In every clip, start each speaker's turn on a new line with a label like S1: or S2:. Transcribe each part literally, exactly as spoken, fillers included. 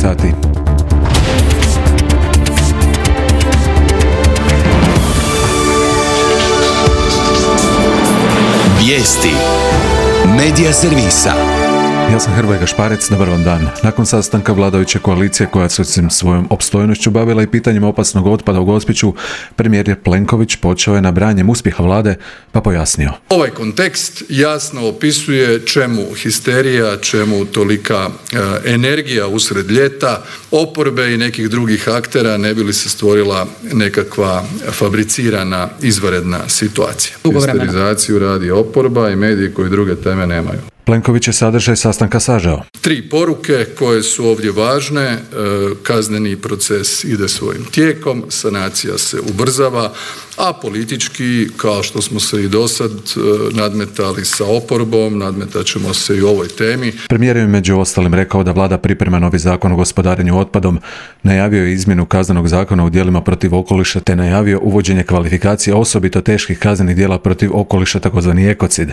S1: sati.
S2: Vijesti Medija servisa.
S1: Ja sam Hrvoje Gašparec, dobar vam dan. Nakon sastanka vladajuće koalicije koja se osim svojom opstojnošću bavila i pitanjem opasnog otpada u Gospiću, premijer Plenković počeo je nabrajanjem uspjeha vlade, pa pojasnio.
S3: Ovaj kontekst jasno opisuje čemu histerija, čemu tolika e, energija usred ljeta, oporbe i nekih drugih aktera ne bi li se stvorila nekakva fabricirana izvanredna situacija. Histerizaciju radi oporba i mediji koji druge teme nemaju.
S1: Plenković je sadržaj sastanka sažeo.
S3: Tri poruke koje su ovdje važne. Kazneni proces ide svojim tijekom, sanacija se ubrzava, a politički, kao što smo se i dosad nadmetali sa oporbom, nadmetat ćemo se i u ovoj temi.
S1: Premijer je među ostalim rekao da vlada priprema novi zakon o gospodarenju otpadom, najavio je izmjenu kaznenog zakona u djelima protiv okoliša te najavio uvođenje kvalifikacija osobito teških kaznenih djela protiv okoliša, takozvani ekocid.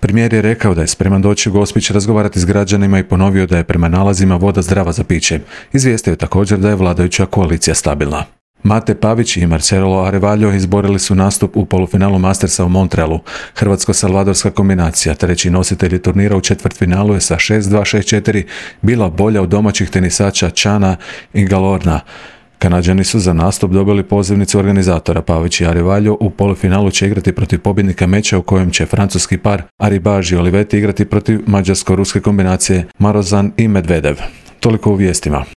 S1: Premijer je rekao da je spreman doći u Gospić razgovarati s građanima i ponovio da je prema nalazima voda zdrava za piće. Izvijestio je također da je vladajuća koalicija stabilna. Mate Pavić i Marcelo Arevaljo izborili su nastup u polufinalu Mastersa u Montrealu. Hrvatsko-salvadorska kombinacija, treći nositelji turnira u četvrtfinalu je sa šest dva šest četiri bila bolja od domaćih tenisača Čana i Galorna. Kanađani su za nastup dobili pozivnicu organizatora. Pavić i Arevaljo u polufinalu će igrati protiv pobjednika meča u kojem će francuski par Aribaž i Olivetti igrati protiv mađarsko-ruske kombinacije Marozan i Medvedev. Toliko u vijestima.